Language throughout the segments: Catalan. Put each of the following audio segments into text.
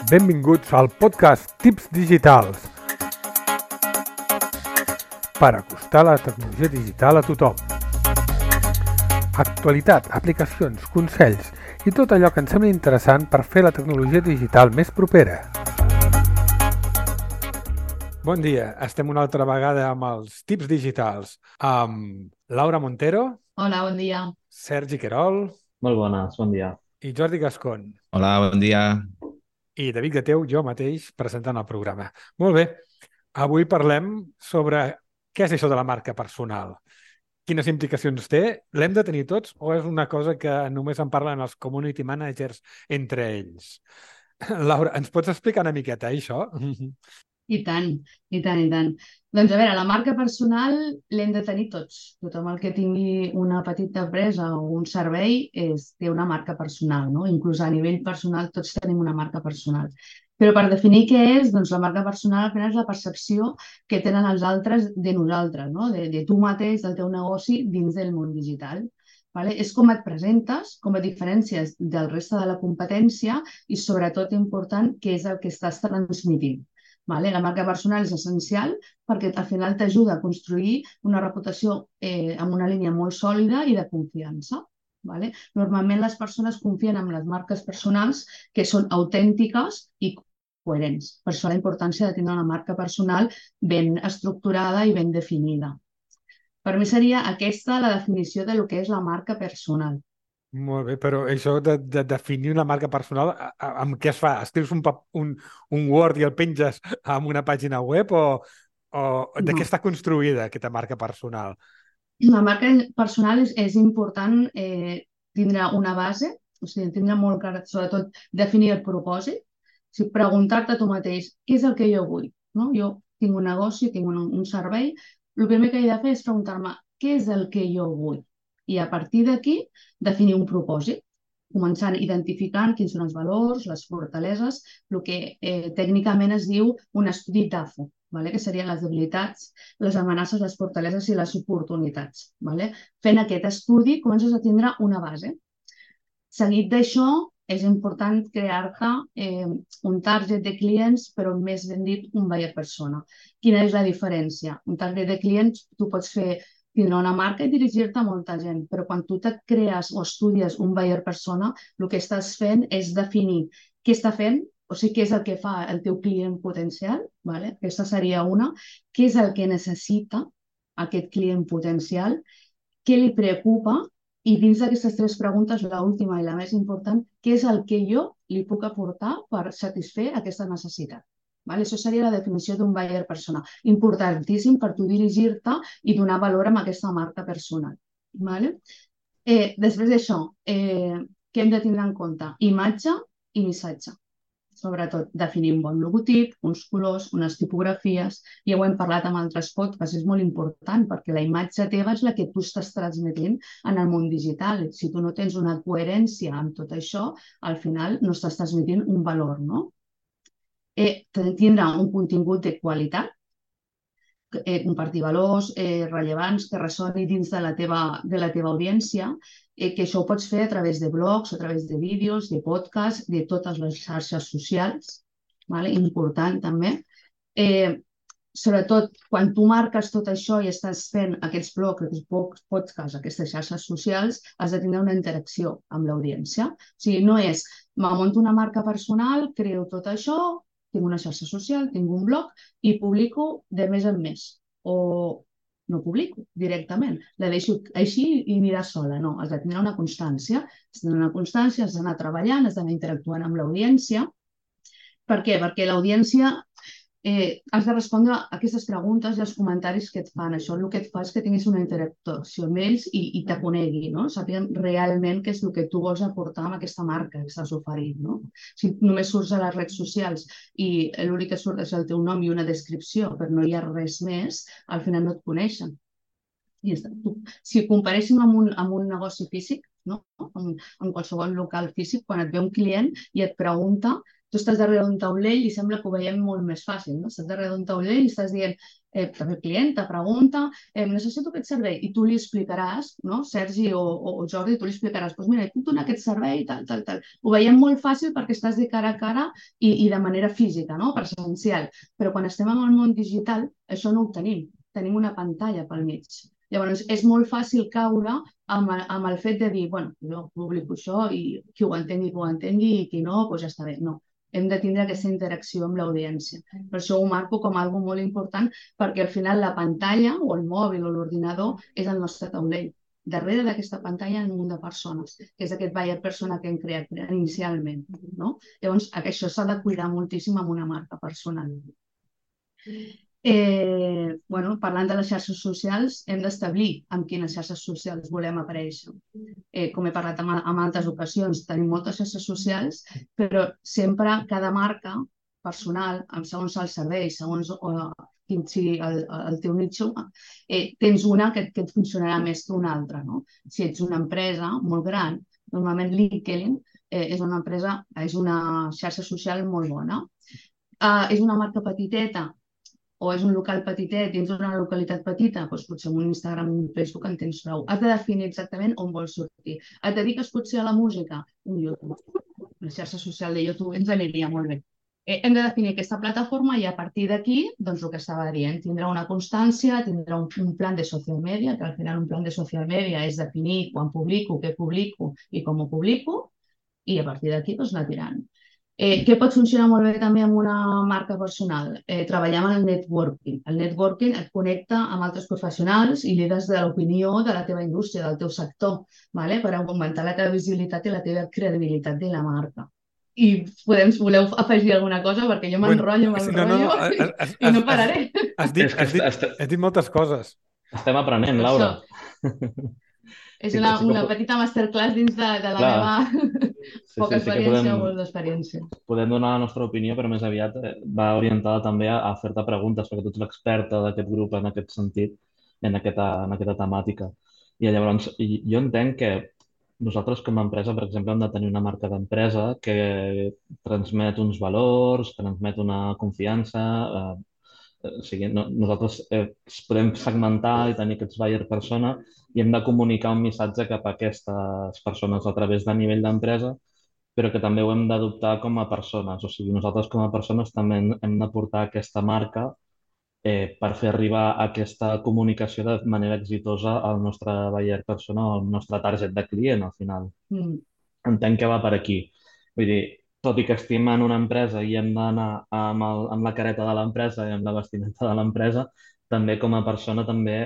Benvinguts al podcast Tips Digitals per acostar la tecnologia digital a tothom. Actualitat, aplicacions, consells i tot allò que ens sembla interessant per fer la tecnologia digital més propera. Bon dia, estem una altra vegada amb els Tips Digitals amb Laura Montero. Hola, bon dia. Sergi Querol. Molt bones, bon dia. I Jordi Gascon. Hola, bon dia. I David Gateu, jo mateix, presentant el programa. Molt bé, avui parlem sobre què és això de la marca personal. Quines implicacions té? L'hem de tenir tots o és una cosa que només en parlen els community managers entre ells? Laura, ens pots explicar una miqueta això? I tant, i tant, i tant. Doncs a veure, la marca personal l'hem de tenir tots. Tothom el que tingui una petita empresa o un servei té una marca personal, no? Inclús a nivell personal tots tenim una marca personal. Però per definir què és, doncs la marca personal al final és la percepció que tenen els altres de nosaltres, no? De tu mateix, del teu negoci dins del món digital. Vale? És com et presentes, com et diferències del reste de la competència i sobretot important què és el que estàs transmitint. Vale? La marca personal és essencial perquè al final t'ajuda a construir una reputació amb una línia molt sòlida i de confiança. Vale? Normalment les persones confien en les marques personals que són autèntiques i coherents. Per això la importància de tenir una marca personal ben estructurada i ben definida. Per mi seria aquesta la definició de lo que és la marca personal. Molt bé, però això de definir una marca personal, amb què es fa? Escrius un Word i el penges en una pàgina web o de què està construïda aquesta marca personal? La marca personal és important tindre una base, o sigui, tindre molt clar, sobretot, definir el propòsit, o sigui, preguntar-te a tu mateix què és el que jo vull. No? Jo tinc un negoci, tinc un servei, el primer que he de fer és preguntar-me què és el que jo vull i a partir d'aquí definir un propòsit, començant identificant quins són els valors, les fortaleses, el que tècnicament es diu un estudi DAFO, vale? Que serien les debilitats, les amenaces, les fortaleses i les oportunitats. Vale? Fent aquest estudi comences a tindre una base. Seguit d'això, és important crear-te un target de clients, però més ben dit un buyer persona. Quina és la diferència? Un target de clients tu pots tindre una marca i dirigir-te a molta gent, però quan tu et crees o estudies un buyer persona, el que estàs fent és definir què està fent, o sigui, què és el que fa el teu client potencial, vale? Aquesta seria una, què és el que necessita aquest client potencial, què li preocupa i dins d'aquestes tres preguntes, l'última i la més important, què és el que jo li puc aportar per satisfer aquesta necessitat. Vale? Això seria la definició d'un buyer persona. Importantíssim per tu dirigir-te i donar valor a aquesta marca personal. Vale? Després d'això, què hem de tindre en compte? Imatge i missatge. Sobretot definir un bon logotip, uns colors, unes tipografies. Ja ho hem parlat amb altres podcasts, és molt important perquè la imatge teva és la que tu estàs transmetent en el món digital. Si tu no tens una coherència amb tot això, al final no estàs transmetent un valor, no? Tindrà un contingut de qualitat, compartir valors rellevants que ressoni dins de la teva audiència, que això ho pots fer a través de blogs, a través de vídeos, de podcasts, de totes les xarxes socials, vale? Important també. Sobretot, quan tu marques tot això i estàs fent aquests blogs, aquests podcasts, aquestes xarxes socials, has de tenir una interacció amb l'audiència. O sigui, no és, me munto una marca personal, creo tot això, tinc una xarxa social, tinc un blog i publico de mes en mes. O no publico directament, la deixo així i anirà sola. No, has de tenir una constància. Has de tenir una constància, has d'anar treballant, has d'anar interactuant amb l'audiència. Per què? Perquè l'audiència has de respondre a aquestes preguntes i als comentaris que et fan. Això el que et fa és que tinguis una interacció amb ells i te conegui, no? Sàpiguen realment què és el que tu vols aportar amb aquesta marca que estàs oferint, no? Si només surts a les redes socials i l'únic que surt és el teu nom i una descripció, però no hi ha res més, al final no et coneixen. Si comparéssim amb un negoci físic, no? En qualsevol local físic, quan et ve un client i et pregunta, tu estàs darrere d'un taulell i sembla que ho veiem molt més fàcil, no? Estàs darrere d'un taulell i estàs dient, també el client te pregunta, necessito aquest servei, i tu li explicaràs, no? Sergi o Jordi, tu li explicaràs, doncs mira, puc donar aquest servei, tal, tal, tal. Ho veiem molt fàcil perquè estàs de cara a cara i de manera física, no? Presencial. Però quan estem en el món digital, això no ho tenim. Tenim una pantalla pel mig. Llavors, és molt fàcil caure amb el fet de dir, bueno, jo publico això i qui ho entengui, i qui no, doncs ja està bé. No, hem de tindre aquesta interacció amb l'audiència. Per això ho marco com algo molt important, perquè al final la pantalla o el mòbil o l'ordinador és el nostre taulell. Darrere d'aquesta pantalla hi ha un munt de persones, que és aquest buyer persona que hem creat inicialment. No? Llavors, això s'ha de cuidar moltíssim amb una marca personal. Parlant de les xarxes socials, hem d'establir amb quines xarxes socials volem aparèixer. Com he parlat en altres ocasions, tenim moltes xarxes socials, però sempre cada marca personal, segons el servei, segons quin sigui el teu nitxo, tens una que et funcionarà més que una altra. No? Si ets una empresa molt gran, normalment LinkedIn és una xarxa social molt bona. És una marca petiteta, o és un local petitet dins d'una localitat petita, doncs potser amb un Instagram o un Facebook en tens prou. Has de definir exactament on vols sortir. Et dediques potser a la música? Un YouTube. La xarxa social de YouTube ens aniria molt bé. Hem de definir aquesta plataforma i a partir d'aquí, doncs el que estava dient, tindrà una constància, tindrà un plan de social media, que al final un plan de social media és definir quan publico, què publico i com ho publico, i a partir d'aquí doncs anar tirant. Què pot funcionar molt bé també amb una marca personal? Treballar amb el networking. El networking et connecta amb altres professionals i líders de l'opinió de la teva indústria, del teu sector, vale? Per augmentar la teva visibilitat i la teva credibilitat de la marca. I voleu afegir alguna cosa? Perquè jo m'enrotllo amb el rotllo i no pararé. Has dit moltes coses. Estem aprenent, Laura. És una petita masterclass dins de la meva poca experiència o molt d'experiència. Podem donar la nostra opinió, però més aviat va orientada també a fer-te preguntes, perquè tu ets l'experta d'aquest grup en aquest sentit, en aquesta temàtica. I llavors, jo entenc que nosaltres com a empresa, per exemple, hem de tenir una marca d'empresa que transmet uns valors, transmet una confiança. O sigui, nosaltres podem segmentar i tenir aquests buyer persona i hem de comunicar un missatge cap a aquestes persones a través de nivell d'empresa, però que també ho hem d'adoptar com a persones. O sigui, nosaltres com a persones també hem de portar aquesta marca per fer arribar aquesta comunicació de manera exitosa al nostre buyer persona o al nostre target de client, al final. Entenc que va per aquí. Vull dir, tot i que estem en una empresa i hem d'anar amb la careta de l'empresa i amb la vestimenta de l'empresa, també com a persona també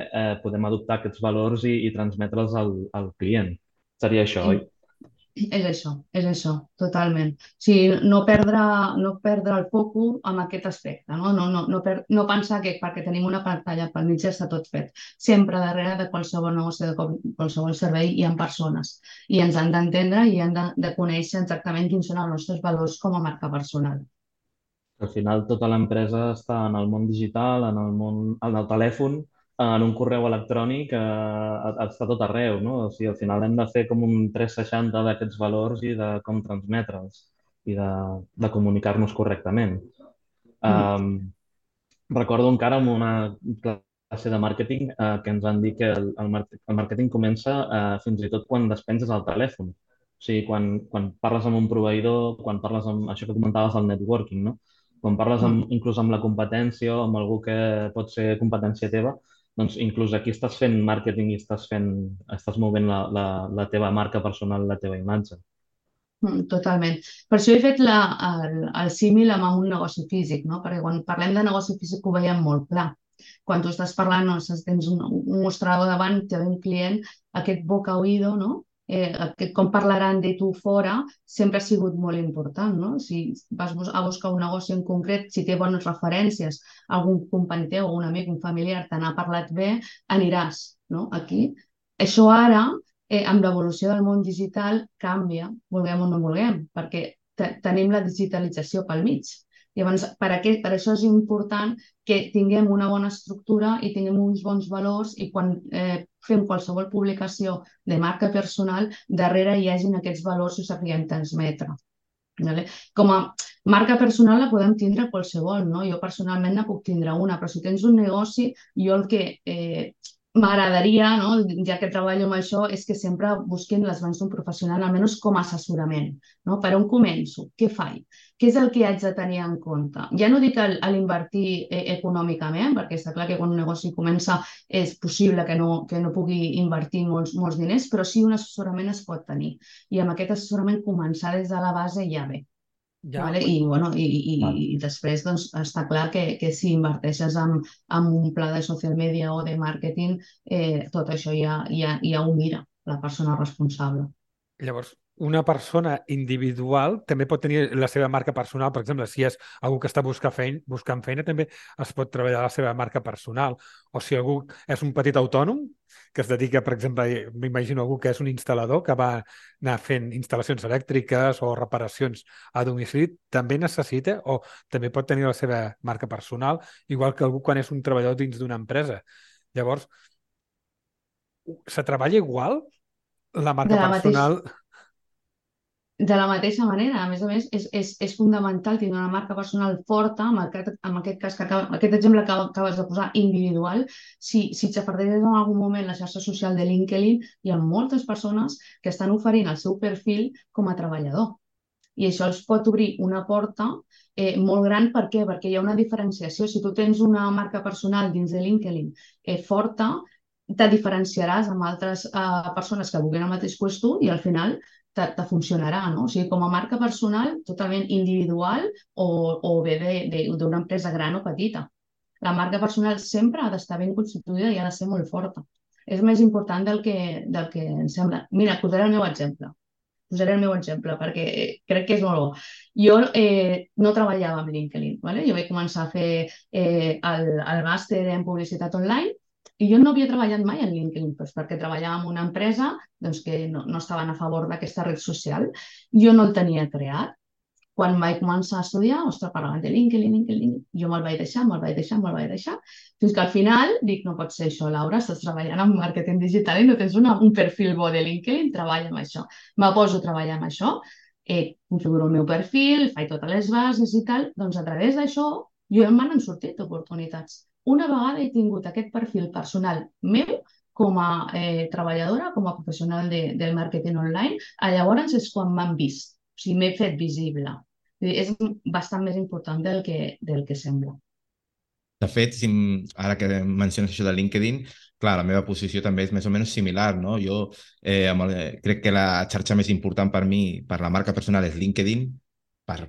podem adoptar aquests valors i transmetre'ls al client. Seria això, oi? És això, totalment. O sigui, no perdre el focus amb aquest aspecte, no pensar que perquè tenim una pantalla pel mig ja està tot fet. Sempre darrere de qualsevol negoci, de qualsevol servei hi ha persones i ens han d'entendre i han de conèixer exactament quins són els nostres valors com a marca personal. Al final tota l'empresa està en el món digital, en el telèfon, en un correu electrònic, està tot arreu, no? O sigui, al final hem de fer com un 360 d'aquests valors i de com transmetre'ls i de comunicar-nos correctament. Recordo encara en una classe de màrqueting que ens han dit que el màrqueting comença fins i tot quan despenses el telèfon. O sigui, quan parles amb un proveïdor, quan parles amb això que comentaves del networking, no? Quan parles inclús amb la competència o amb algú que pot ser competència teva, doncs inclús aquí estàs fent màrqueting i estàs movent la teva marca personal, la teva imatge. Totalment. Per això he fet el símil amb un negoci físic, no? Perquè quan parlem de negoci físic ho veiem molt clar. Quan tu estàs parlant, tens un mostrador davant, té un client, aquest boca-oïdo, no? Com parlaran de tu fora, sempre ha sigut molt important, no? Si vas a buscar un negoci en concret, si té bones referències, algun company teu, un amic, un familiar te n'ha parlat bé, aniràs, no? Aquí. Això ara, amb l'evolució del món digital, canvia, vulguem o no vulguem, perquè tenim la digitalització pel mig. Llavors, per això és important que tinguem una bona estructura i tinguem uns bons valors i quan fem qualsevol publicació de marca personal, darrere hi hagin aquests valors i ho sapiguem transmetre. Vale? Com a marca personal la podem tindre qualsevol, no? Jo personalment ne puc tindre una, però si tens un negoci, jo el que m'agradaria, no? Ja que treballo amb això, és que sempre busquin les mans d'un professional, almenys com a assessorament, no? Per on començo? Què faig? Què és el que haig de tenir en compte? Ja no dic a l'invertir econòmicament, perquè està clar que quan un negoci comença és possible que no pugui invertir molts diners, però sí un assessorament es pot tenir. I amb aquest assessorament començar des de la base ja bé. Ja, Vale? I, bueno, Val. i després doncs, està clar que si inverteixes en un pla de social media o de màrqueting, tot això ja ho mira la persona responsable. llavors, una persona individual també pot tenir la seva marca personal. Per exemple, si és algú que està buscant feina, també es pot treballar la seva marca personal. O si algú és un petit autònom que es dedica, per exemple, m'imagino algú que és un instal·lador que va anar fent instal·lacions elèctriques o reparacions a domicili, també necessita o també pot tenir la seva marca personal, igual que algú quan és un treballador dins d'una empresa. Llavors, se treballa igual la De marca la mateixa, personal? de la mateixa manera, a més, és fundamental tenir una marca personal forta, en aquest cas, aquest exemple que acabes de posar, individual. Si xafardeies en algun moment la xarxa social de LinkedIn, hi ha moltes persones que estan oferint el seu perfil com a treballador. I això els pot obrir una porta molt gran. Per què? Perquè hi ha una diferenciació. Si tu tens una marca personal dins de LinkedIn forta, te diferenciaràs amb altres persones que vulguin el mateix que tu i al final te funcionarà, no? O sigui, com a marca personal, totalment individual o bé d'una empresa gran o petita. La marca personal sempre ha d'estar ben constituïda i ha de ser molt forta. És més important del que ens sembla. Mira, posaré el meu exemple. Posaré el meu exemple perquè crec que és molt bo. Jo no treballava amb LinkedIn, ¿vale? Jo vaig començar a fer el màster en publicitat online i jo no havia treballat mai en LinkedIn, doncs perquè treballava en una empresa doncs, que no estaven a favor d'aquesta red social. Jo no el tenia creat. Quan vaig començar a estudiar, ostres, parlaven de LinkedIn, jo me'l vaig deixar, fins que al final dic, no pot ser això, Laura, estàs treballant en màrqueting digital i no tens un perfil bo de LinkedIn, treballa amb això. Me poso a treballar amb això, configuro el meu perfil, faig totes les bases i tal, doncs a través d'això jo me n'han sortit oportunitats. Una vegada he tingut aquest perfil personal meu com a treballadora, com a professional del màrqueting online, llavors és quan m'han vist, o sigui, m'he fet visible. És bastant més important del que sembla. De fet, ara que menciones això de LinkedIn, clar, la meva posició també és més o menys similar, no? Jo crec que la xarxa més important per mi, per la marca personal, és LinkedIn, per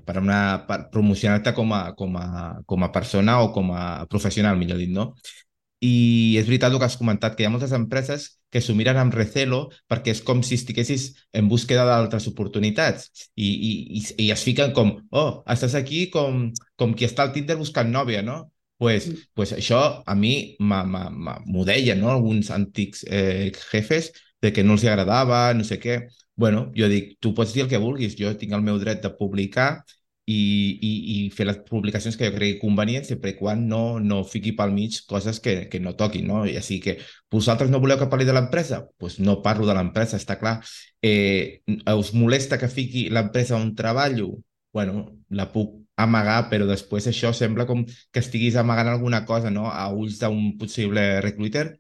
promocionar-te com a persona o com a professional, millor dit, no? I és veritat el que has comentat, que hi ha moltes empreses que s'ho miren amb recelo perquè és com si estiguessis en búsqueda d'altres oportunitats i es fiquen com, oh, estàs aquí com qui està al Tinder buscant nòvia, no? Pues això a mi m'ho deien, no? Alguns antics jefes de que no els agradava, no sé què. Bueno, jo dic, tu pots dir el que vulguis, jo tinc el meu dret de publicar i fer les publicacions que jo cregui convenients sempre i quan no fiqui pel mig coses que no toquin, no? I així que vosaltres no voleu que parli de l'empresa? Doncs pues no parlo de l'empresa, està clar. Us molesta que fiqui l'empresa on treballo? Bueno, la puc amagar, però després això sembla com que estiguis amagant alguna cosa, no? A ulls d'un possible recruiter.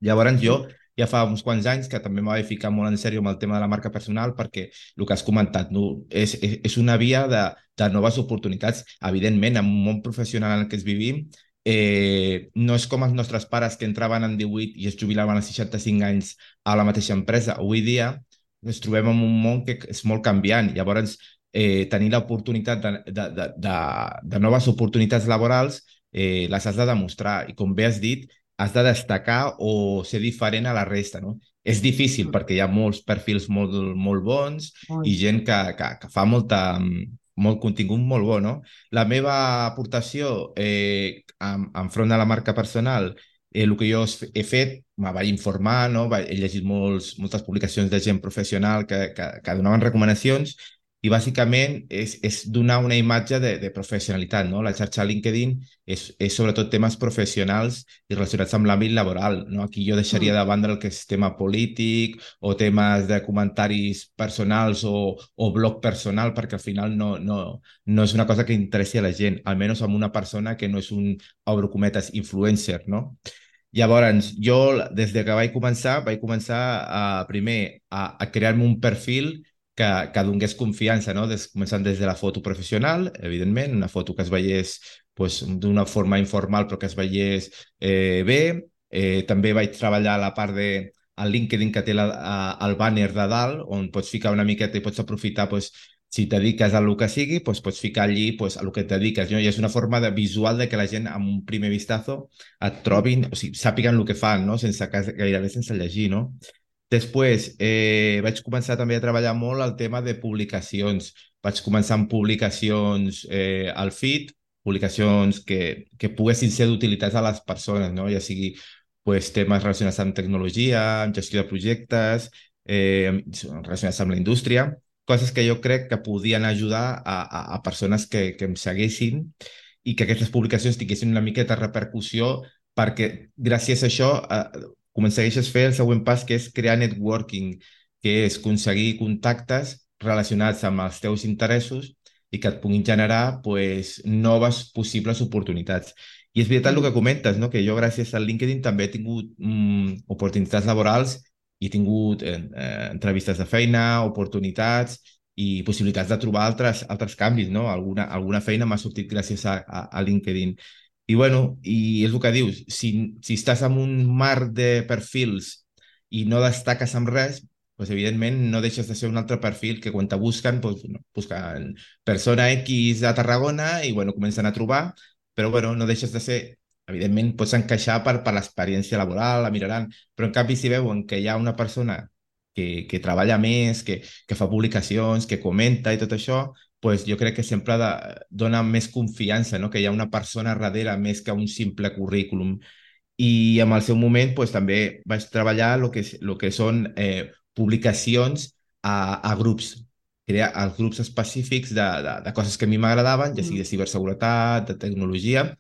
Llavors jo ja fa uns quants anys que també m'ho vaig ficar molt en sèrio amb el tema de la marca personal perquè el que has comentat, no? És una via de noves oportunitats. Evidentment, en un món professional en el que es vivim, no és com els nostres pares que entraven en 18 i es jubilaven als 65 anys a la mateixa empresa. Avui dia ens trobem en un món que és molt canviant. Llavors, tenir l'oportunitat de noves oportunitats laborals les has de demostrar. I com bé has dit, has de destacar o ser diferent a la resta, no? És difícil perquè hi ha molts perfils molt bons i gent que fa molt contingut molt bo, no? La meva aportació enfront de la marca personal, el que jo he fet, me vaig informar, no? He llegit moltes publicacions de gent professional que donaven recomanacions i bàsicament és donar una imatge de professionalitat, no? La xarxa LinkedIn és sobretot temes professionals i relacionats amb l'àmbit laboral, no? Aquí jo deixaria de banda el que és tema polític o temes de comentaris personals o blog personal, perquè al final no és una cosa que interessi a la gent, almenys amb una persona que no és un, obro cometes, influencer, no? Llavors, jo, des de que vaig començar primer a crear-me un perfil que donés confiança, no? Començant des de la foto professional, evidentment, una foto que es veiés pues, d'una forma informal però que es veiés bé. També vaig treballar la part de el LinkedIn que té el banner de dalt, on pots ficar una miqueta i pots aprofitar pues, si et dediques a el que sigui, pues, pots ficar allí pues, a el que et dediques. No? I és una forma visual de que la gent, amb un primer vistazo, et trobin, o sigui, sàpiguen el que fan, no? Gairebé sense llegir, no? Després vaig començar també a treballar molt el tema de publicacions. Vaig començar amb publicacions al feed, publicacions que poguessin ser d'utilitat a les persones, no? Ja sigui pues, temes relacionats amb tecnologia, amb gestió de projectes, relacionats amb la indústria, coses que jo crec que podien ajudar a persones que em seguissin i que aquestes publicacions tinguessin una miqueta de repercussió perquè gràcies a això començaries a fer el següent pas, que és crear networking, que és aconseguir contactes relacionats amb els teus interessos i que et puguin generar pues, noves possibles oportunitats. I és veritat el que comentes, no? Que jo gràcies al LinkedIn també he tingut oportunitats laborals i he tingut entrevistes de feina, oportunitats i possibilitats de trobar altres canvis, no? Alguna feina m'ha sortit gràcies a LinkedIn. I bueno, i és el que dius, si estàs en un mar de perfils i no destaques amb res, pues evidentment no deixes de ser un altre perfil que quan te busquen, pues, no, busquen persona X a Tarragona i bueno, comencen a trobar, però bueno, no deixes de ser, evidentment pots encaixar per l'experiència laboral, la miraran, però en canvi si veuen que hi ha una persona que treballa més, que fa publicacions, que comenta i tot això, pues jo crec que sempre dona més confiança, no? Que hi ha una persona darrere més que un simple currículum. I en el seu moment pues, també vaig treballar el que són publicacions a grups, crear els grups específics de coses que a mi m'agradaven, ja sigui de ciberseguretat, de tecnologia,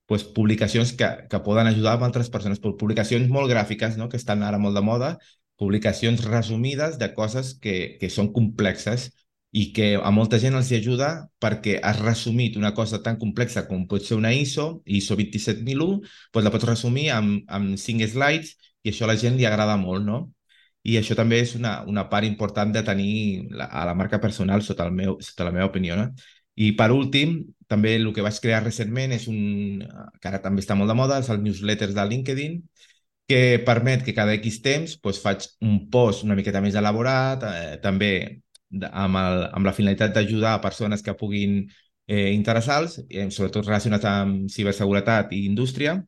pues, publicacions que poden ajudar a altres persones, publicacions molt gràfiques, no? Que estan ara molt de moda, publicacions resumides de coses que són complexes i que a molta gent els ajuda perquè has resumit una cosa tan complexa com pot ser una ISO 27001, doncs la pots resumir amb 5 slides i això a la gent li agrada molt, no? I això també és una part important de tenir a la marca personal sota la meva opinió, no? I per últim, també el que vaig crear recentment és que ara també està molt de moda, és el newsletter de LinkedIn, que permet que cada X temps doncs, faig un post una miqueta més elaborat, també amb la finalitat d'ajudar a persones que puguin interessar-los, sobretot relacionats amb ciberseguretat i indústria.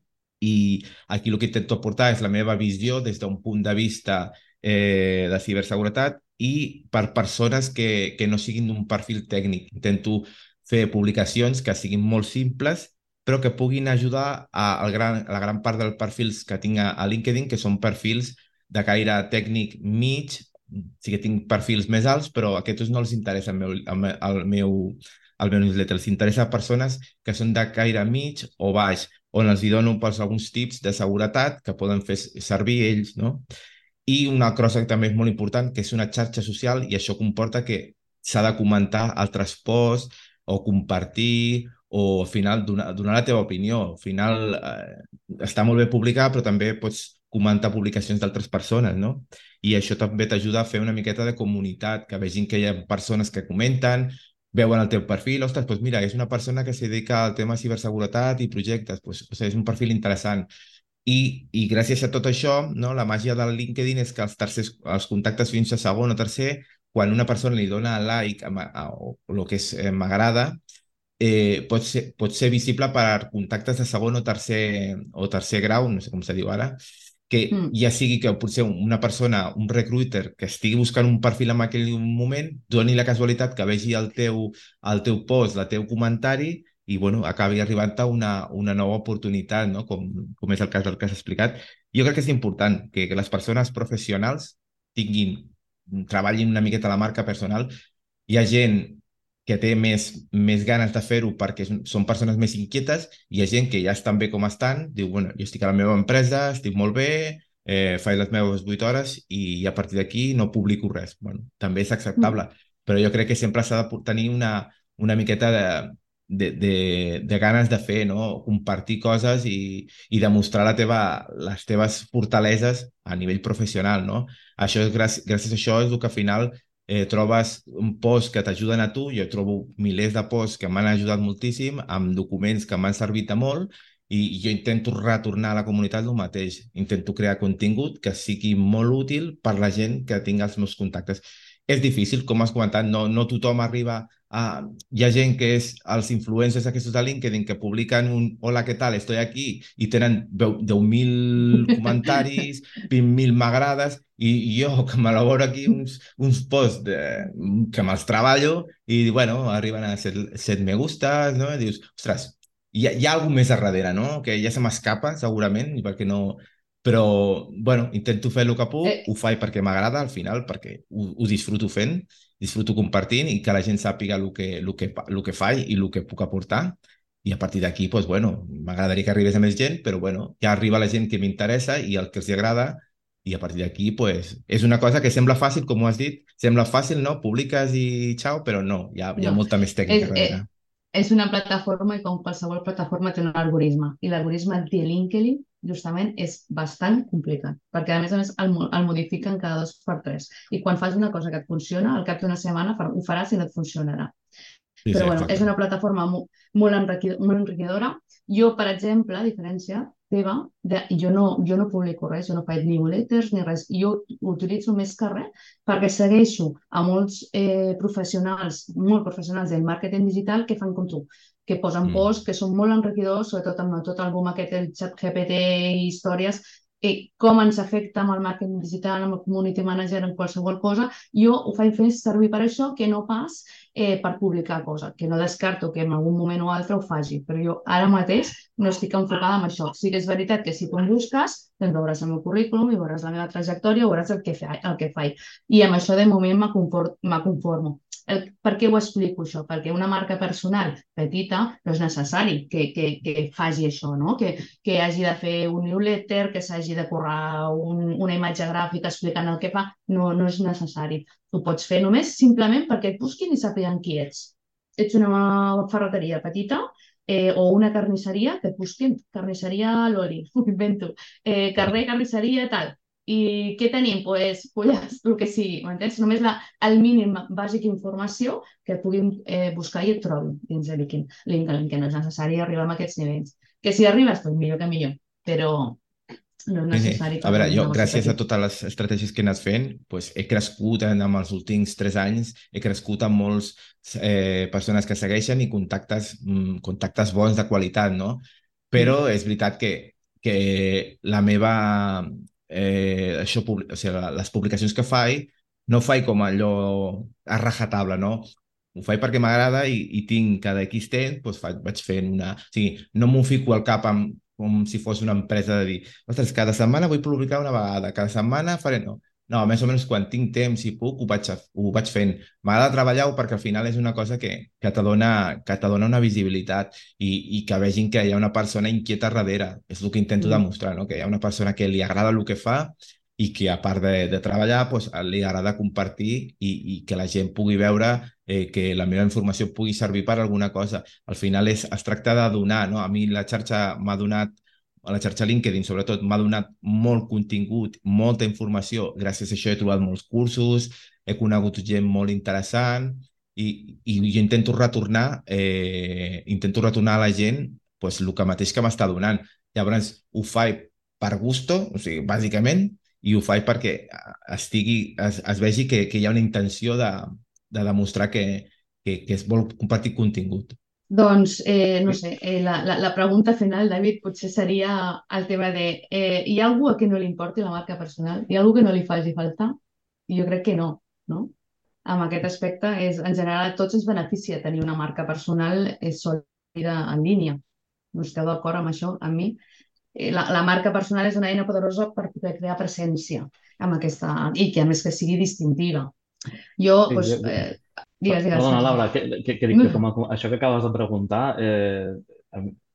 I aquí el que intento aportar és la meva visió des d'un punt de vista de ciberseguretat i per persones que no siguin d'un perfil tècnic. Intento fer publicacions que siguin molt simples però que puguin ajudar a la gran part dels perfils que tinc a LinkedIn, que són perfils de caire tècnic mig, sí que tinc perfils més alts, però a aquests no els interessa el meu newsletter. Els interessa persones que són de caire mig o baix, on els dono alguns tips de seguretat que poden fer servir ells, no? I una cosa que també és molt important, que és una xarxa social, i això comporta que s'ha de comentar altres posts o compartir o al final donar la teva opinió. Al final està molt bé publicar, però també pots comentar publicacions d'altres persones, no? I això també t'ajuda a fer una miqueta de comunitat, que vegin que hi ha persones que comenten, veuen el teu perfil, ostres, doncs mira, és una persona que se dedica al tema ciberseguretat i projectes, doncs, o sigui, és un perfil interessant. I gràcies a tot això, no, la màgia del LinkedIn és que els contactes fins a segon o tercer, quan una persona li dona like o el que és m'agrada, pot ser visible per contactes de segon o tercer grau, no sé com se diu ara, que ja sigui que potser una persona, un recruiter que estigui buscant un perfil en aquell moment, doni la casualitat que vegi el teu post, el teu comentari i bueno, acabi arribant a una nova oportunitat, no? Com és el cas del que has explicat. Jo crec que és important que les persones professionals treballin una miqueta la marca personal Hi ha gent que té més ganes de fer-ho perquè són persones més inquietes, i hi ha gent que ja estan bé com estan, diu, bueno, jo estic a la meva empresa, estic molt bé, faig les meves 8 hores i a partir d'aquí no publico res. Bueno, també és acceptable, però jo crec que sempre s'ha de tenir una miqueta de ganes de fer, no? Compartir coses i demostrar les teves fortaleses a nivell professional, no? Això és gràcies a això és el que al final trobes un post que t'ajuden a tu. Jo trobo milers de posts que m'han ajudat moltíssim, amb documents que m'han servit de molt, i jo intento retornar a la comunitat el mateix. Intento crear contingut que sigui molt útil per la gent que tinga els meus contactes. És difícil, com has comentat, no tothom arriba a... Hi ha gent que és els influencers aquests de LinkedIn que publiquen un hola, què tal, estoy aquí, i tenen 10.000 comentaris, 20.000 m'agrades, i jo que m'elaboro aquí uns posts que me'ls treballo i, bueno, arriben a 7 me gustes, no? I dius, ostres, hi ha alguna més a darrere, no? Que ja se m'escapa, segurament, perquè no... Però, bueno, intento fer el que puc, ho faig perquè m'agrada, al final, perquè ho disfruto fent, disfruto compartint, i que la gent sàpiga el que faig i el que puc aportar. I a partir d'aquí, doncs, bueno, m'agradaria que arribés a més gent, però, bueno, ja arriba la gent que m'interessa i el que els agrada, i a partir d'aquí, pues, és una cosa que sembla fàcil, com ho has dit, sembla fàcil, no? Publiques i xau, però no, hi ha No, molta més tècnica darrere. és una plataforma i com qualsevol plataforma té un algoritme. I l'algoritme de LinkedIn justament és bastant complicat, perquè a més el modifiquen cada 2 per 3. I quan fas una cosa que et funciona, al cap d'una setmana ho faràs i no et funcionarà. Sí, Però sí, bueno, és exacte. una plataforma molt enriquidora. Jo, per exemple, a diferència teva, jo no publico res, jo no faig newsletters ni res. Jo ho utilitzo més que res perquè segueixo a molts professionals, molt professionals del màrqueting digital que fan com tu, que posen posts que són molt enriquidors, sobretot amb tot el boom aquest, el xat GPT i històries, com ens afecta amb el màrqueting digital, amb el community manager, en qualsevol cosa. Jo ho faig fer servir per això, que no pas per publicar coses, que no descarto que en algun moment o altre ho faci, però jo ara mateix no estic enfocada en això. Sí que és veritat que si tu em busques, doncs veuràs el meu currículum i veuràs la meva trajectòria, veuràs el que faig. I amb això de moment me conformo. Per què ho explico això? Perquè una marca personal petita no és necessari que faci això, no? Que hagi de fer un newsletter, que s'hagi de currar una imatge gràfica explicant el que fa, no és necessari. Ho pots fer només simplement perquè et busquin i sàpiguen qui ets. Ets una ferreteria petita o una carnisseria, que et busquin carnisseria l'oli, ho invento, carrer, carnisseria, tal. I què tenim? Pues, polles, el que sigui, m'entens? Només el mínim bàsic informació que et puguin buscar i et trobin dins de LinkedIn, que no és necessari arribar a aquests nivells. Que si arribes, doncs millor que millor, però no és Sí, sí. necessari A per veure, un jo, negoci gràcies a petit. totes les estratègies que he anat fent, pues, he crescut amb els últims 3 anys, he crescut amb molts persones que segueixen i contactes bons de qualitat, no? Però és veritat que la meva... o sigui, les publicacions que faig, no faig com allò a rajatabla, no? Ho faig perquè m'agrada i tinc cada X temps, doncs vaig fent una... O sigui, no m'ho fico al cap com si fos una empresa de dir, ostres, cada setmana vull publicar una vegada, cada setmana faré... No, més o menys quan tinc temps i puc ho vaig fent. M'agrada treballar-ho perquè al final és una cosa que te dona una visibilitat i que vegin que hi ha una persona inquieta darrere. És el que intento demostrar, no? Que hi ha una persona que li agrada el que fa i que a part de treballar doncs, li agrada compartir i que la gent pugui veure que la meva informació pugui servir per alguna cosa. Al final es tracta de donar, no? A mi la xarxa m'ha donat, a la xarxa LinkedIn sobretot, m'ha donat molt contingut, molta informació. Gràcies a això he trobat molts cursos, he conegut gent molt interessant i jo intento retornar a la gent pues, el que mateix que m'està donant. Llavors ho faig per gusto, o sigui, bàsicament, i ho faig perquè es vegi que hi ha una intenció de demostrar que es vol compartir contingut. Doncs, no sé, la pregunta final, David, potser seria el tema de hi ha algú a qui no li importi la marca personal? Hi ha algú que no li faci falta? I jo crec que no, no? Amb aquest aspecte, en general, a tots ens beneficia tenir una marca personal sòlida en línia. No esteu d'acord amb això, amb mi? La marca personal és una eina poderosa per poder crear presència amb aquesta, i que a més que sigui distintiva. Jo, Sí, doncs, Digues, digues, Perdona, Sergi. Laura, que dic que això que acabes de preguntar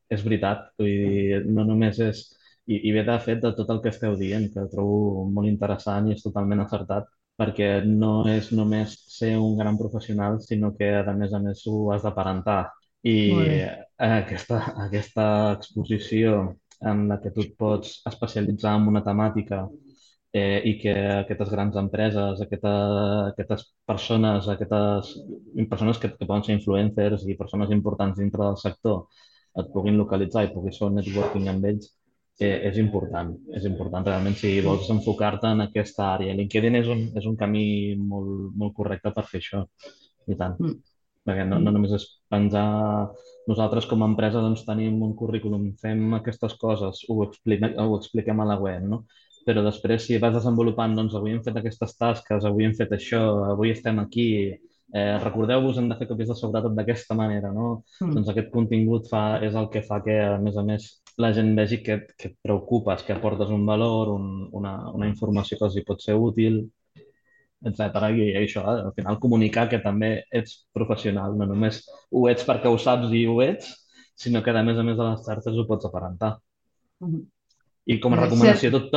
és veritat. Vull dir, no només és... I ve de fet de tot el que esteu dient, que ho trobo molt interessant i és totalment acertat, perquè no és només ser un gran professional, sinó que, a més, ho has d'aparentar. I Molt bé. aquesta exposició en la que tu et pots especialitzar en una temàtica i que aquestes grans empreses, aquestes persones que poden ser influencers i persones importants dintre del sector et puguin localitzar i puguis fer un networking amb ells, és important. És important realment si vols enfocar-te en aquesta àrea. LinkedIn és un camí molt, molt correcte per fer això. I tant. Mm. Perquè no només és penjar... Nosaltres com a empresa doncs, tenim un currículum, fem aquestes coses, ho expliquem a la web, no? Però després si vas desenvolupant, doncs avui hem fet aquestes tasques, avui hem fet això, avui estem aquí, recordeu-vos, hem de fer copies de seguretat d'aquesta manera, no? Mm. Doncs aquest contingut és el que fa que, a més, la gent vegi que et preocupes, que aportes un valor, una informació que els hi pot ser útil, etcètera. I això, al final, comunicar que també ets professional, no només ho ets perquè ho saps i ho ets, sinó que, a més, a les xarxes ho pots aparentar. Mm. I com a Cert. recomanació, tot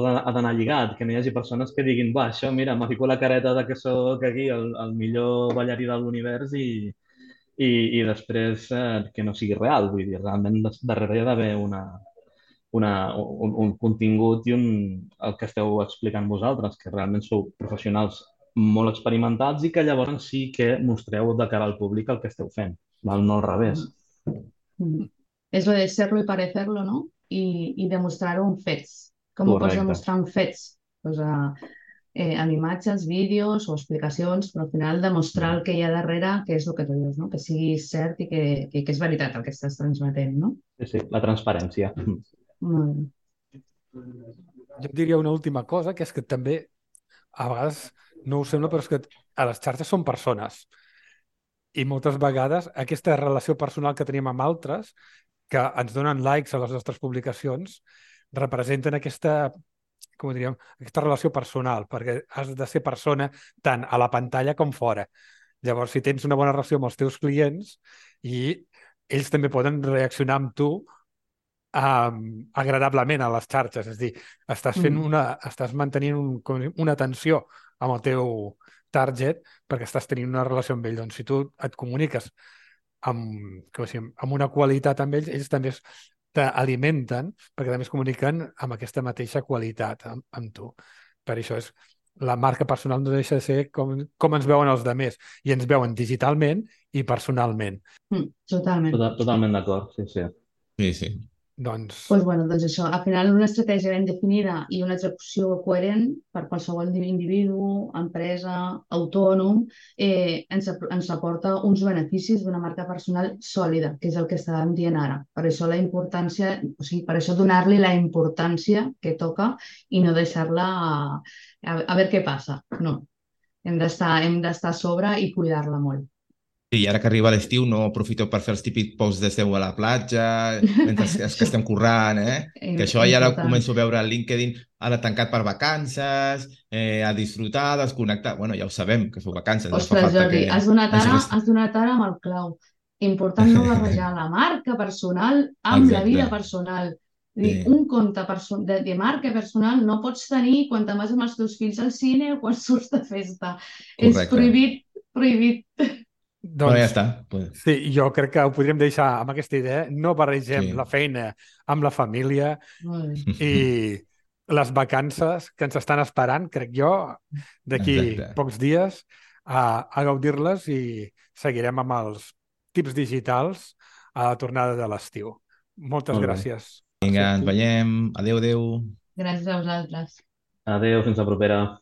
ha d'anar lligat, que no hi hagi persones que diguin, va, això, mira, m'ha fico la careta de que sóc aquí el millor ballarí de l'univers i després que no sigui real. Vull dir, realment darrere hi ha d'haver un contingut i el que esteu explicant vosaltres, que realment sou professionals molt experimentats i que llavors sí que mostreu de cara al públic el que esteu fent, val? No al revés. Mm. És lo de serlo y parecerlo, ¿no? I demostrar-ho amb fets. Com ho pots Correcte. demostrar amb fets? Pues, amb imatges, vídeos o explicacions, però al final demostrar el que hi ha darrere, que és el que tu dius, no? Que sigui cert i que és veritat el que estàs transmetent, no? Sí, la transparència. Molt bé. Jo et diria una última cosa, que és que també, a vegades, no ho sembla, però és que a les xarxes són persones. I moltes vegades aquesta relació personal que tenim amb altres, que ens donen likes a les nostres publicacions, representen aquesta, com ho diríem, aquesta relació personal, perquè has de ser persona tant a la pantalla com fora. Llavors, si tens una bona relació amb els teus clients i ells també poden reaccionar amb tu agradablement a les xarxes, és a dir, estàs mantenint una atenció amb el teu target perquè estàs tenint una relació amb ell. Doncs si tu et comuniques amb una qualitat amb ells, ells també t'alimenten perquè també es comuniquen amb aquesta mateixa qualitat amb tu. Per això la marca personal no deixa de ser com ens veuen els altres, i ens veuen digitalment i personalment. Totalment. Totalment d'acord, sí, sí. Sí, sí. Doncs Doncs això, al final una estratègia ben definida i una execució coherent per qualsevol individu, empresa, autònom, ens aporta uns beneficis d'una marca personal sòlida, que és el que estàvem dient ara. Per això la importància, o sigui, per això donar-li la importància que toca i no deixar-la a veure què passa. No, hem d'estar a sobre i cuidar-la molt. Sí, i ara que arriba l'estiu no aprofiteu per fer els típics posts de seu a la platja, mentre els que estem currant, Que això ja ho començo a veure al LinkedIn, ara tancat per vacances, a disfrutar, a desconnectar. Bueno, ja ho sabem, que feu vacances. Ostres, Jordi, has donat ara amb el clau. Important no barrejar la marca personal amb la vida personal. Sí. Un compte de marca personal no pots tenir quan te'n vas amb els teus fills al cine o quan surts de festa. Correcte. És prohibit, prohibit. Doncs, ja està. Sí, jo crec que ho podríem deixar amb aquesta idea. No barregem la feina amb la família i les vacances que ens estan esperant, crec jo, d'aquí pocs dies, a gaudir-les, i seguirem amb els tips digitals a la tornada de l'estiu. Moltes gràcies. Vinga, ens veiem. Adéu, adéu. Gràcies a vosaltres. Adéu, fins la propera.